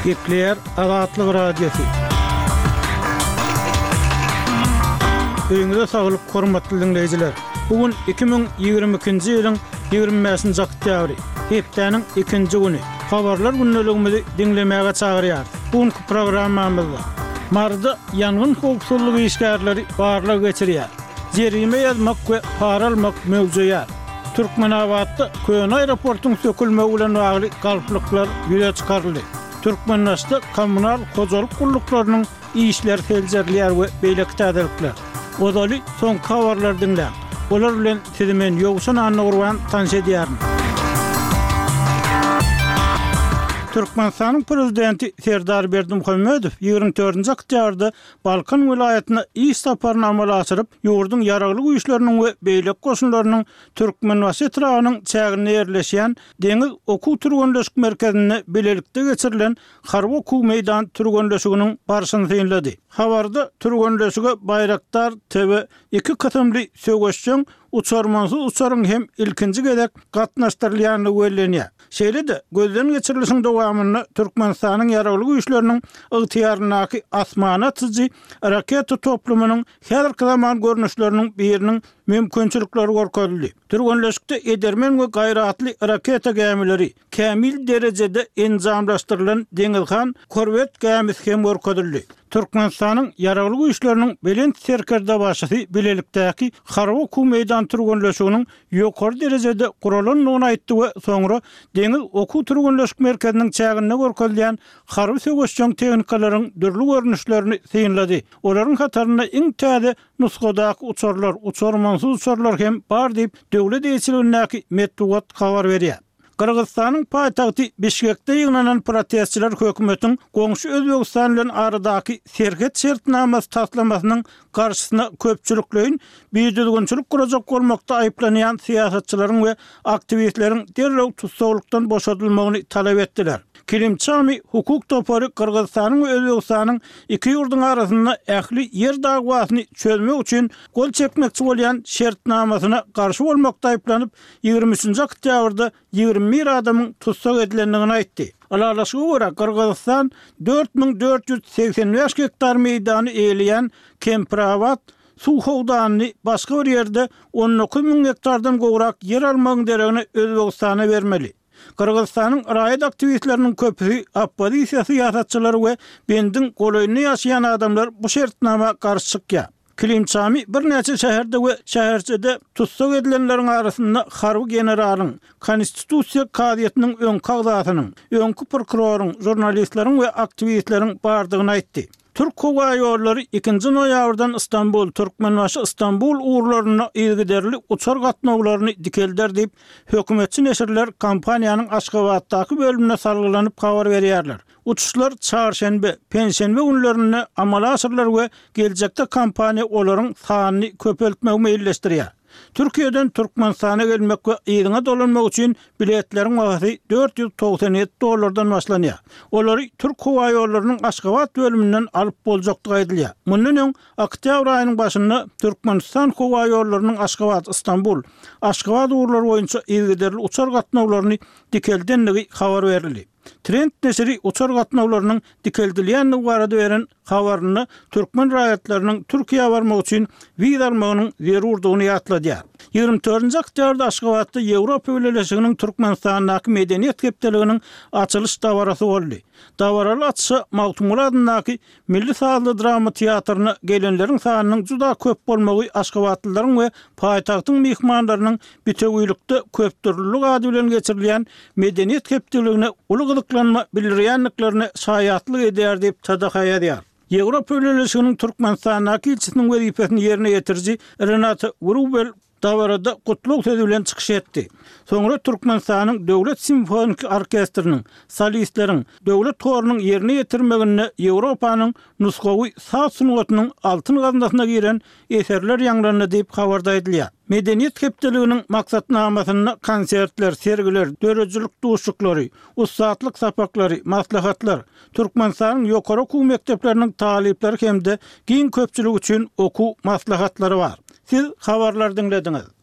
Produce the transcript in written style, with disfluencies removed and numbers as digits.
Gepleýär Azatlyk Radiosy. Öýüňize saglyk, hormatly diňleýjiler! Bu gün 2022-nji ýylyň 25-nji oktýabry, hepdäniň ikinji güni. Habarlar gündeligimizi diňlemäge çagyrýarys. Bu günki programmamyzda Maryda ýangyn howpsuzlygy işgärleri barlag geçirýär. Jerime ýazmak we para almak möwjeýär. Türkmenabatda köne aeroportuň sökülmegi bilen bagly galplyklar ýüze çykaryldy. Türkmenbaşyda kommunal hojalyk gulluklarynyň işleri seljerilýär we beýleki täzelikler. Ozaly soňky habarlary diňläň. Olar bilen sizi men Ýowşan Annagurban tanyş edýärin. Türkmenistanyň Prezidenti Serdar Berdimuhamedow 24-nji oktýabrda Balkan welaýatyna iş saparyny amala aşyryp, ýurduň Ýaragly Güýçleriniň we beýleki goşunlarynyň Türkmenbaşy etrabynyň çäginde ýerleşýän Deňiz okuw-türgenleşik merkezinde bilelikde geçirilen harby okuw-meýdan türgenleşiginiň barşyny synlady. Habarda türgenleşige Baýraktar TW iki kysymly söweşjeň uçarmansyz uçaryň hem ilkinji gezek gatnaşdyrylýandygy bellenýär. Şeýle-de, gözden geçirilişiň dowamynda Türkmenistanyň Ýaragly Güýçleriniň ygtyýaryndaky asmana atyjy raketa toplumynyň häzirki zaman görnüşleriniň biriniň mümkinçilikleri görkezildi. Türgenleşikde edermen we gaýratly raketa gämileri, kämil derejede enjamlaşdyrylan Deňizhan korwet gämisi hem görkezildi. Türkmenistanyň Ýaragly Güýçleriniň Belent Serkerdebaşysy bilelikdäki harby-okuw meýdan türgenleşiginiň ýokary derejede guralandygyny aýtdy we soňra Deňiz okuw-türgenleşik merkeziniň çäginde görkezilýän harby söweşjeň tehnikalaryň dürli görnüşlerini synlady. Olaryň hatarynda iň täze nusgadaky uçarlar, uçarmansyz uçarlar hem bar diýip, döwlet eýeçiligindäki metbugat habar berýär. Gyrgyzystanyň paýtagty Bişkekde ýygnanan protestçiler hökümetiň goňşy Özbegistan bilen aradaky serhet şertnamasy taslamasynyň garşysyna köpçülikleýin bidüzgünçilik gurajak bolmakda aýyplanýan syýasatçylaryň we aktiwistleriň derrew tussaglykdan boşadylmagyny talap etdiler. Kilimçami hukuk topary Gyrgyzystanyň we Özbegistanyň iki ýurduň arasynda ähli ýer dagwasyny çözmek üçin gol çekmekçi bolýan şertnamasyna garşy bolmakda aýyplanyp, 23-nji oktýabrda 21 adamyň tussag edilendigini aýtdy. Ylalaşyga görä, Gyrgyzystan 4485 gektar meýdany eýeleýän Kempirabat suw howdanyny başga bir ýerde 19 müň gektardan gowrak ýer almagyň deregine Özbegistana bermeli. Gyrgyzystanyň raýat aktiwistleriniň köpüsi, oppozisiýa syýasatçylary we bendiň golaýynda ýaşaýan adamlar bu şertnama garşy çykýar. Klimçami birnäçe şäherde we şäherçede tussag edilenleriň arasynda harby generalyň, Konstitusiýa kazyýetiniň öňki agzasynyň, öňki prokuroryň, žurnalistleriň we aktiwistleriň bardygyny aýtdy. Türk howaýollary ikinji noýabrdan Stambul, Türkmenbaşy, Stambul ugurlarynda yzygiderli uçar gatnawlaryny dikelder diýip, hökümetçi neşirler kompaniýanyň Aşgabatdaky bölümine salgylanyp habar berýärler. Uçuşlar çarşenbe, penşenbe günlerinde amala aşyrylar we geljekde kompaniýa olaryň sanyny köpeltmegi meýilleşdirýär. Türkiýeden Türkmenistana gelmek we yzyňa dolanmak üçin biletleriň bahasy 497 dollardan başlanýar. Olary Türk howaýollarynyň Aşgabat bölüminden alyp boljakdygy aýdylýar. Mundan öň, oktýabr aýynyň başynda Türkmenistan howaýollarynyň Aşgabat, Stambul, Aşgabat ugurlary boýunça yzygiderli uçar gatnawlaryny dikeldendigi habar berildi. Trend neşiri uçar gatnawlarynyň dikeldilýändigi barada beren habarynda türkmen raýatlarynyň Türkiýä barmak üçin wiza almagynyň zerurdygyny ýatladýar. 24-nji oktýabrda Aşgabatda Ýewropa Bileleşiginiň Türkmenistandaky Medeniýet hepdeliginiň açylyş dabarasy boldy. Dabaraly açyşa Magtymguly adyndaky Milli sazly drama teatryna gelenleriň sanynyň juda köp bolmagy aşgabatlylaryň we paýtagtyň myhmanlarynyň bitewilikde köpdürlülik ady bilen geçirilýän Medeniýet hepdeligine uly gyzyklanma bildirýändiklerine şaýatlyk edýär diýip, TDH ýazýar. Ýewropa Bileleşiginiň Türkmenistandaky ilçisiniň wezipesini ýerine ýetiriji Renata Wrubel dabarada gutlag sözi bilen çykyş etdi. Soňra Türkmenistanyň Döwlet simfoniki orkestriniň, solistleriň, döwlet horunyň ýerine ýetirmeginde Ýewropanyň nusgawy saz sungatynyň altyn gaznasyna giren eserler ýaňlandy diýip, habarda aýdylýar. Medeniýet hepdeliginiň maksatnamasynda konsertler, sergiler, döredijilik duşuşyklary, ussatlyk sapaklary, maslahatlar, Türkmenistanyň ýokary okuw mekdepleriniň talyplary hem-de giň köpçülik üçin okuw maslahatlary bar. Siz habarlary diňlediňiz.